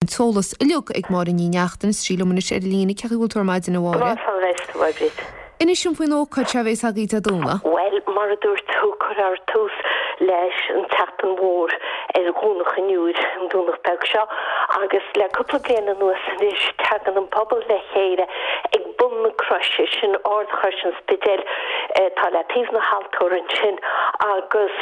An t-eolas uilig ag Máire Ní Neachtain is sí liom anois ar an líne. Cén chaoi a bhfuil tú ar maidin, a Mháire? Go maith, fáilte romhat, a Mhaighread. Inis dom faoin ócáid seo a bhéas agaibh Dé Domhnaigh. Bhuel, mar a dúirt tú, cuirfear tús leis an tseachtain mhór ar Dhomhnach an Iúir, an Domhnach beag seo, agus le cúpla bliain anuas anois, tagann an pobal le chéile ag bun na croise, sin Ardchrois an Spidéil, atá le taobh na haltóra ansin, agus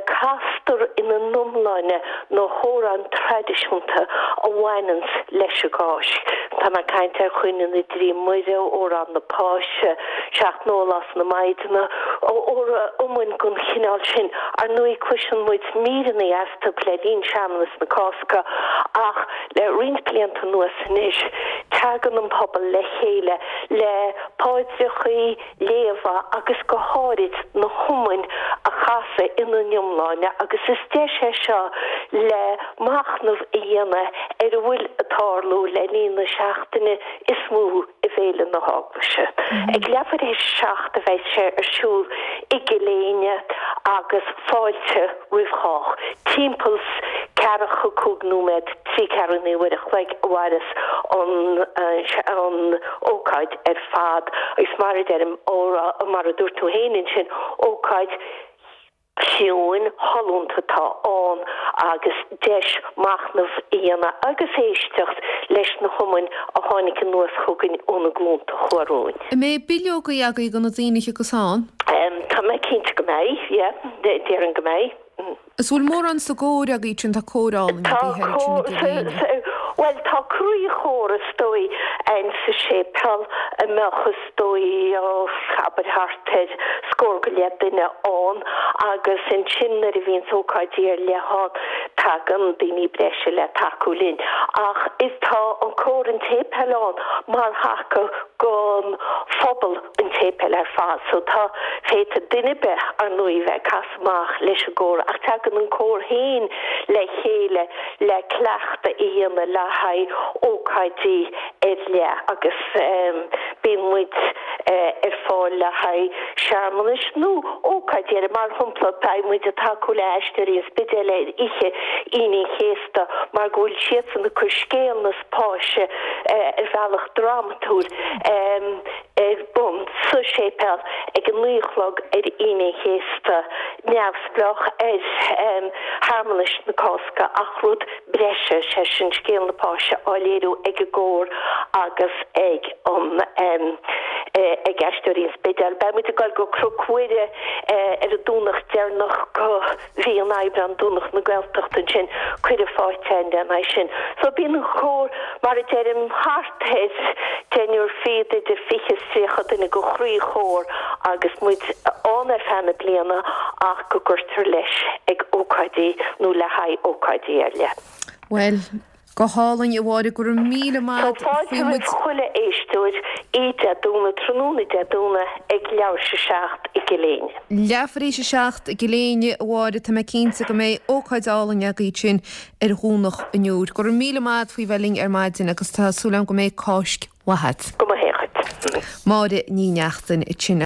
castar ina n-iomláine na hamhráin traidisiúnta a bhaineanns leis an gCáisc. Tá mé ag caint ar Chaoineadh na dTrí Muire, Amhrán na Páise, Seacht nDólás na Maighdine, iomainn den chineál sin. Ar ndóigh cloiseann muid míreanna astu le linn searmanas na Cásca ach le roinnt blianta anuas anois tagann an pobal le chéile le paidreachaí, léamha agus go háirid na hiomainn a chasadh ina n-iomláine agus is deis é seo le machnamh a dhéanamh ar a bhfuil ag tarlú le linn na seachtaine is mó i bhféile na hEaglaise. Ag leathuair théis a 7 a bheidh sé ar siúl i gCill Éinne agus fáilte roimh chách. Timpeall 's ceathracha cúig nóiméad, trí ceathrú i ndiaidh uair a chloig a mhairfeas an ócáid ar fad agus mar a deirim, mar a dúirt tú féin ansin, ócáid chiúin, shollúnta atá ann agus deis machnamh a dhéanamh agus éisteacht leis na hiomainn a tháinig anuas chugainn ó na glúnta a chuaigh romhainn. An mbeidh bileogaí agaibh do na daoine a thiocfas ann? Tá mé cinnte go mbeidh, yeah. Déarfainn go mbeidh. Is bhfuil mórán sa gcór agaibh sin, tá cór álainn agaibh thoir ansin i gCill Éinne. Bhuel, tá croíchór is dóigh ann sa séipéal a mbeadh is dóigh, abair thart ar scór go leith duine ann agus ansin nuair a bhíonns ócáidí ar leith ann tagann daoine breise le tacú linn. Ach is tá an cór an tséipéil ann mar thaca don phobal an tséipéil ar fad so tá, féadfaidh duine ar bith ar ndóigh bheith ag casadh amach leis an gcór ach tagann an cór féin le chéile le cleachtadh a dhéanamh le haghaidh ócáidí ar leith agus bíonn muid ar fáil le haghaidh searmanais nó ócáidí eile. Mar shampla beidh muid ag tacú le Aisteoirí an Spidéil ar oíche Aoine an Chéasta mar go bhfuil siadsan ag cur scéal na Páise ar bhealach drámatúil ar bun sa séipéal ag a 9 a chlog ar Aoine an Chéasta, neamhspleách ar shearmanais na Cásca ach rud breise, sé sin scéal na Páise á léiriú ag an gcór agus ag an ag Aisteoirí an Spidéil. Beidh muid ag dul go Cnoc Mhuire ar an Domhnach deireanach de mhí an Aibreáin, Domhnach na Gaeltachta ansin, cuireadh faighte againn lena aghaidh sin. So bíonn an cór, mar a deirim, thart ar deichniúr fichead, idir 20 is 30 duine de chroí-chór agus muid ann ar feadh na bliana ach go gcuirtear leis ag ócáidí nó le haghaidh ócáidí ar leith. Bhuel, Go hálainn, a Mháire, go raibh míle maith agat. Tá fáilte roimh chuile éisteoir oíche Dé Domhnaigh, tráthnóna Dé Domhnaigh ag leathuair théis a 7 i gCill Éinne. Leathuair tar éis a 7 i gCill Éinne, a Mháire, tá mé cinnte go mbeidh ócáid álainn agaibh ansin ar Dhomhnach an Iúir. Go raibh míle maith agat faoi bheith linn ar maidin agus tá súil agam go mbeidh Cáisc mhaith agat. Go maithe dhuit. Máire Ní Neachtain ansin.